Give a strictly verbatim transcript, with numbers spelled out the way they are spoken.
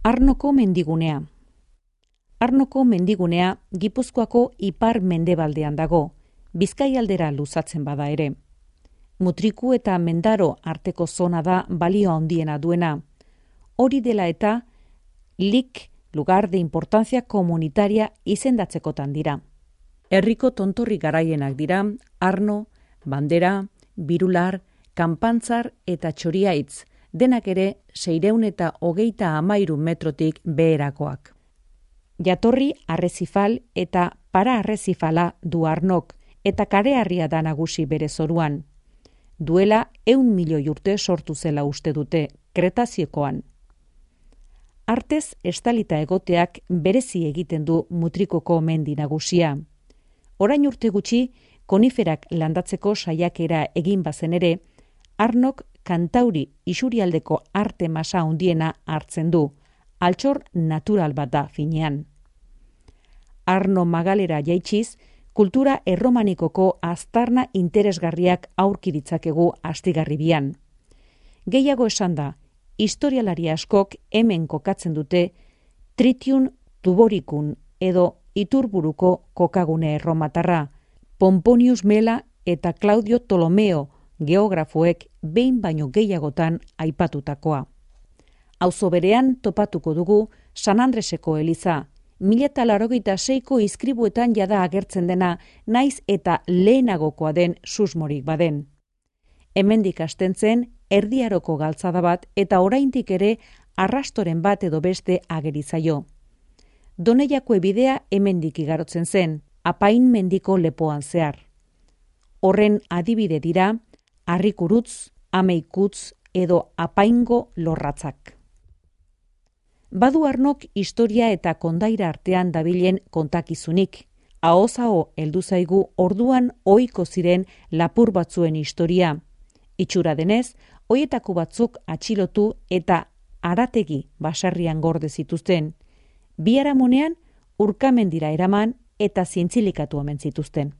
Arnoko mendigunea. Arnoko mendigunea Gipuzkoako ipar mendebaldean dago, Bizkaialdera luzatzen bada ere. Mutriku eta Mendaro arteko zona da balio handiena duena. Hori dela eta lik lugar de importancia comunitaria izendatzekotan dira. Herriko tontorri garaienak dira Arno, Bandera, Birular, Kanpantzar eta Txoriaitz, denak ere seiehun eta hogeita hamairu metrotik beherakoak. Jatorri arrezifal eta para arrezifala du Arnok, eta kareharria da nagusi bere zoruan. Duela ehun milioi urte sortu zela uste dute, Kretaziokoan. Artez estalita egoteak berezi egiten du Mutrikoko mendi nagusia. Orain urte gutxi, koniferak landatzeko saiakera egin bazen ere, Arnok Kantauri isurialdeko arte masa handiena hartzen du, altxor natural bat da finean. Arno magalera jaitsiz, kultura erromanikoko aztarna interesgarriak aurki ditzakegu astigarribian. Gehiago esan da, historialari askok hemen kokatzen dute Tritium Tuboricum edo Iturburuko kokagune erromatarra, Pomponius Mela eta Claudio Ptolomeo geografoek behin baino gehiagotan aipatutakoa. Auzo berean topatuko dugu San Andreseko eliza, mila eta laurogeita seiko izkribuetan jada agertzen dena, naiz eta lehenagokoa den susmorik baden. Hemendik hasten zen erdiaroko galtzada bat eta oraindik ere arrastoren bat edo beste ageri zaio. Doneiako bidea hemendik igarotzen zen, Apain mendiko lepoan zehar. Horren adibide dira Arrikurutz, Ameikutz edo Apaingo lorratzak. Badu Arnok historia eta kondaira artean dabilen kontakizunik. Ahoz aho heldu zaigu orduan ohiko ziren lapur batzuen historia. Itxura denez, hoietako batzuk atxilotu eta harategi basarrian gorde zituzten. Biharamunean urkamendira eraman eta zientzilikatu omen zituzten.